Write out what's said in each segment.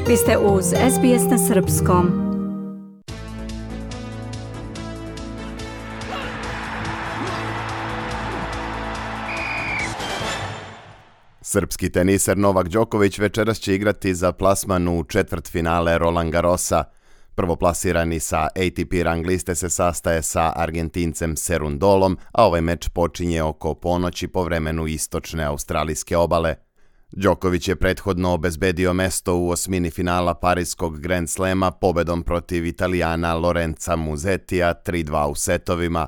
Vi ste uz SBS na srpskom. Srpski teniser Novak Đoković večeras će igrati za plasman u četvrtfinale Roland Garrosa. Prvoplasirani sa ATP rang liste se sastaje sa Argentincem Cerundolom, a ovaj meč počinje oko ponoći po vremenu istočne australijske obale. Đoković je prethodno obezbedio mesto u osmini finala Pariskog Grand Slema pobedom protiv Italijana Lorenza Musettija 3-2 u setovima.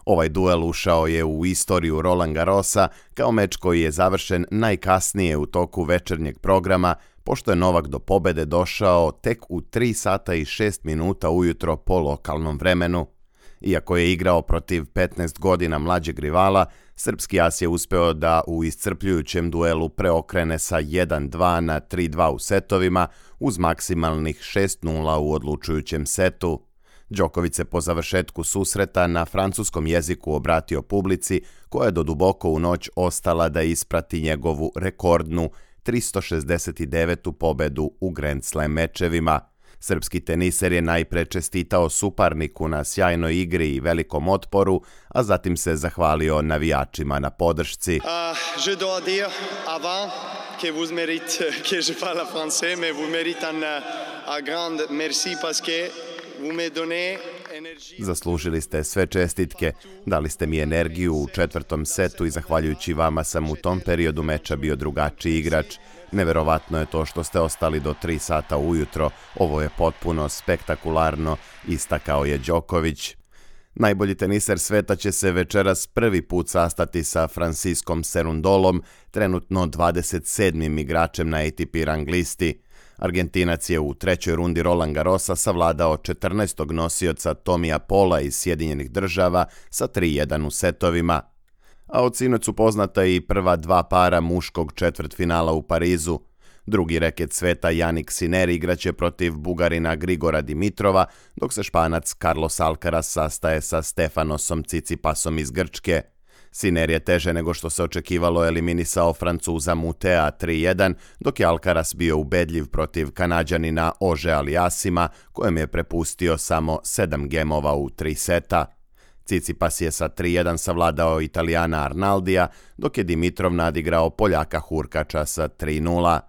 Ovaj duel ušao je u istoriju Roland Garrosa kao meč koji je završen najkasnije u toku večernjeg programa, pošto je Novak do pobede došao tek u 3 sata i 6 minuta ujutro po lokalnom vremenu. Iako je igrao protiv 15 godina mlađeg rivala, srpski as je uspeo da u iscrpljujućem duelu preokrene sa 1-2 na 3-2 u setovima uz maksimalnih 6-0 u odlučujućem setu. Đoković se po završetku susreta na francuskom jeziku obratio publici, koja je do duboko u noć ostala da isprati njegovu rekordnu 369. pobedu u Grand Slam mečevima. Srpski teniser je najpre čestitao suparniku na sjajnoj igri i velikom otporu, a zatim se zahvalio navijačima na podršci. Je dois dire avant que vous méritez que je parle français, mais vous méritez un grand merci parce que vous me donnez. Zaslužili ste sve čestitke, dali ste mi energiju u četvrtom setu i zahvaljujući vama sam u tom periodu meča bio drugačiji igrač. Neverovatno je to što ste ostali do 3 sata ujutro, ovo je potpuno spektakularno, istakao je Đoković. Najbolji teniser sveta će se večeras prvi put sastati sa Franciscom Cerundolom, trenutno 27. igračem na ATP rang listi. Argentinac je u trećoj rundi Roland Garrosa savladao 14. nosioca Tomija Paula iz Sjedinjenih Država sa 3-1 u setovima. A od sinoć su poznata i prva dva para muškog četvrtfinala u Parizu. Drugi reket sveta Jannik Sinner igraće protiv Bugarina Grigora Dimitrova, dok se Španac Carlos Alcaraz sastaje sa Stefanosom Tsitsipasom iz Grčke. Sinner je teže nego što se očekivalo eliminisao Francuza Mutea 3-1, dok je Alcaraz bio ubedljiv protiv Kanađanina Ože Aliasima, kojem je prepustio samo 7 gemova u 3 seta. Tsitsipas je sa 3-1 savladao Italijana Arnaldija, dok je Dimitrov nadigrao Poljaka Hurkača sa 3-0.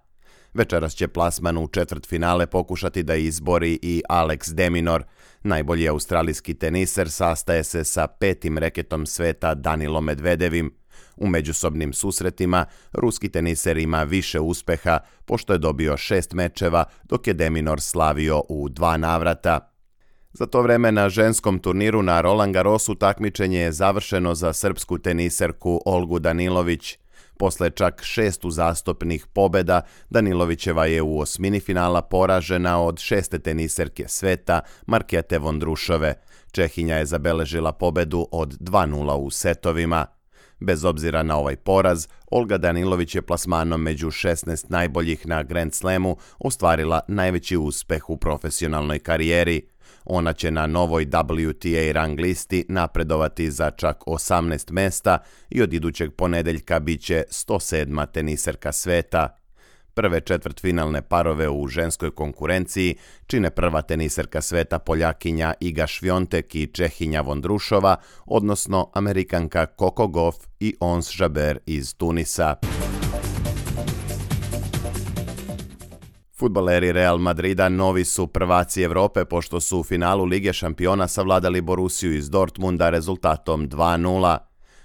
Večeras će plasman u četvrtfinale pokušati da izbori i Alex de Minaur. Najbolji australijski teniser sastaje se sa 5. reketom sveta Danilom Medvedevim. U međusobnim susretima ruski teniser ima više uspeha, pošto je dobio 6 mečeva, dok je de Minaur slavio u 2 navrata. Za to vreme na ženskom turniru na Roland Garrosu takmičenje je završeno za srpsku teniserku Olgu Danilović. Posle čak 6 uzastopnih pobeda, Danilovićeva je u osmini finala poražena od 6. teniserke sveta Markete Vondrušove. Čehinja je zabeležila pobedu od 2-0 u setovima. Bez obzira na ovaj poraz, Olga Danilović je plasmanom među 16 najboljih na Grand Slamu ostvarila najveći uspeh u profesionalnoj karijeri. Ona će na novoj WTA rang listi napredovati za čak 18 mesta i od idućeg ponedeljka bit će 107. teniserka sveta. Prve četvrtfinalne parove u ženskoj konkurenciji čine prva teniserka sveta Poljakinja Iga Švjontek i Čehinja Vondrušova, odnosno Amerikanka Coco Gauff i Ons Jabeur iz Tunisa. Fudbaleri Real Madrida novi su prvaci Evrope pošto su u finalu Lige šampiona savladali Borussiju iz Dortmunda rezultatom 2-0.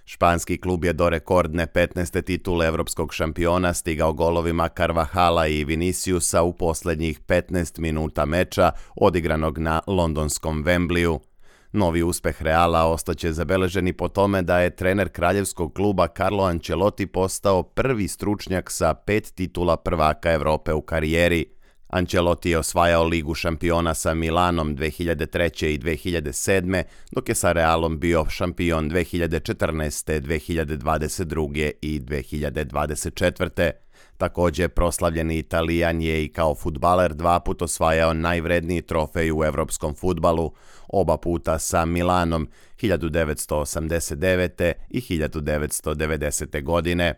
Španski klub je do rekordne 15. titule evropskog šampiona stigao golovima Carvahala i Viniciusa u posljednjih 15 minuta meča odigranog na londonskom Wembleyu. Novi uspeh Reala ostaće zabeleženi po tome da je trener kraljevskog kluba Carlo Ancelotti postao prvi stručnjak sa 5 titula prvaka Evrope u karijeri. Ancelotti je osvajao Ligu šampiona sa Milanom 2003. i 2007. dok je sa Realom bio šampion 2014., 2022. i 2024. Također proslavljeni Italijan je i kao fudbaler 2 puta osvajao najvredniji trofej u evropskom fudbalu, oba puta sa Milanom 1989. i 1990. godine.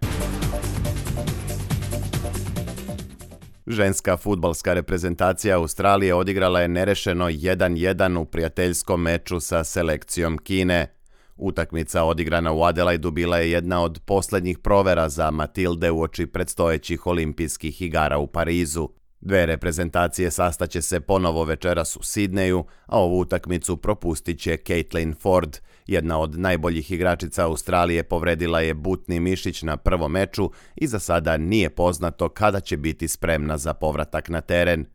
Ženska fudbalska reprezentacija Australije odigrala je nerešeno 1-1 u prijateljskom meču sa selekcijom Kine. Utakmica odigrana u Adelaidu bila je jedna od posljednjih provera za Matilde uoči predstojećih olimpijskih igara u Parizu. Dve reprezentacije sastaće se ponovo večeras u Sidneju, a ovu utakmicu propustit će Caitlin Ford. Jedna od najboljih igračica Australije povredila je butni mišić na prvom meču i za sada nije poznato kada će biti spremna za povratak na teren.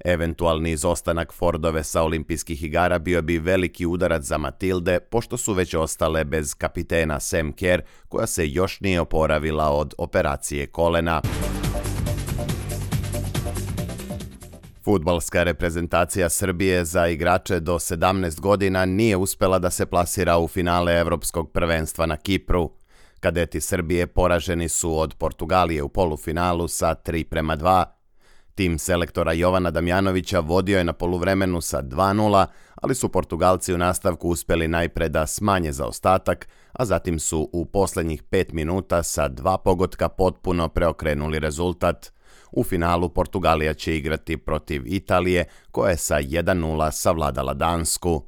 Eventualni izostanak Fordove sa olimpijskih igara bio bi veliki udarac za Matilde, pošto su već ostale bez kapitena Sam Kerr, koja se još nije oporavila od operacije kolena. Fudbalska reprezentacija Srbije za igrače do 17 godina nije uspela da se plasira u finale Evropskog prvenstva na Kipru. Kadeti Srbije poraženi su od Portugalije u polufinalu sa 3:2. Tim selektora Jovana Damjanovića vodio je na poluvremenu sa 2:0, ali su Portugalci u nastavku uspeli najpre da smanje zaostatak, a zatim su u posljednjih 5 minuta sa 2 pogotka potpuno preokrenuli rezultat. U finalu Portugalija će igrati protiv Italije, koja je sa 1:0 savladala Dansku.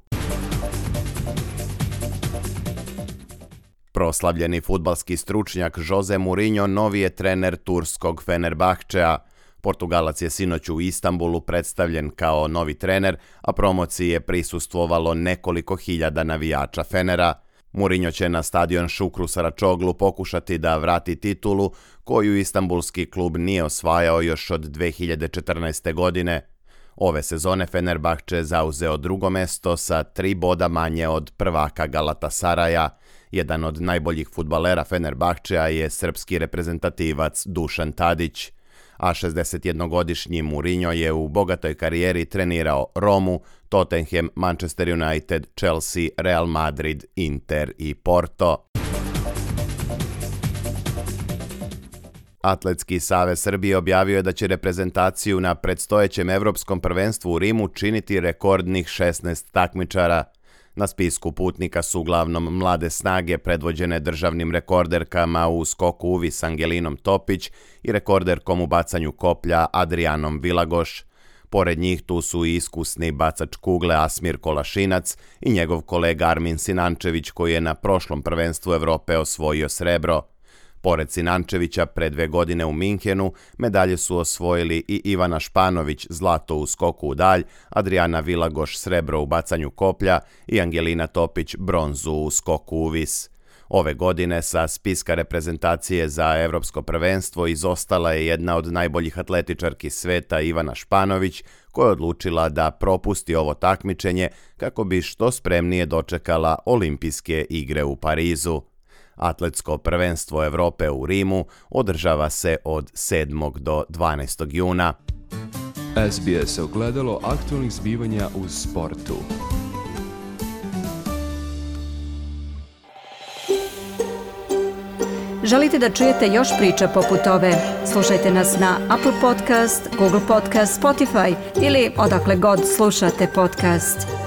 Proslavljeni fudbalski stručnjak Jose Mourinho novi je trener turskog Fenerbahčea. Portugalac je sinoć u Istanbulu predstavljen kao novi trener, a promociji je prisustvovalo nekoliko hiljada navijača Fenera. Mourinho će na stadion Šukru Saračoglu pokušati da vrati titulu koju istanbulski klub nije osvajao još od 2014. godine. Ove sezone Fenerbahče zauzeo drugo mesto sa 3 boda manje od prvaka Galatasaraja. Jedan od najboljih fudbalera Fenerbahčea je srpski reprezentativac Dušan Tadić. A 61-godišnji Mourinho je u bogatoj karijeri trenirao Romu, Tottenham, Manchester United, Chelsea, Real Madrid, Inter i Porto. Atletski savez Srbije objavio je da će reprezentaciju na predstojećem Evropskom prvenstvu u Rimu činiti rekordnih 16 takmičara. Na spisku putnika su uglavnom mlade snage predvođene državnim rekorderkama u skoku uvis Angelinom Topić i rekorderkom u bacanju koplja Adrianom Vilagoš. Pored njih tu su i iskusni bacač kugle Asmir Kolašinac i njegov kolega Armin Sinančević, koji je na prošlom prvenstvu Evrope osvojio srebro. Pored Sinančevića pre 2 godine u Minhenu medalje su osvojili i Ivana Španović zlato u skoku u dalj, Adriana Vilagoš srebro u bacanju koplja i Angelina Topić bronzu u skoku u vis. Ove godine sa spiska reprezentacije za Evropsko prvenstvo izostala je jedna od najboljih atletičarki sveta Ivana Španović, koja je odlučila da propusti ovo takmičenje kako bi što spremnije dočekala olimpijske igre u Parizu. Atletsko prvenstvo Evrope u Rimu održava se od 7. do 12. juna. SBS ogledalo aktualnih zbivanja u sportu. Želite da čujete još priča poput ove? Slušajte nas na Apple Podcast, Google Podcast, Spotify ili odakle god slušate podcast.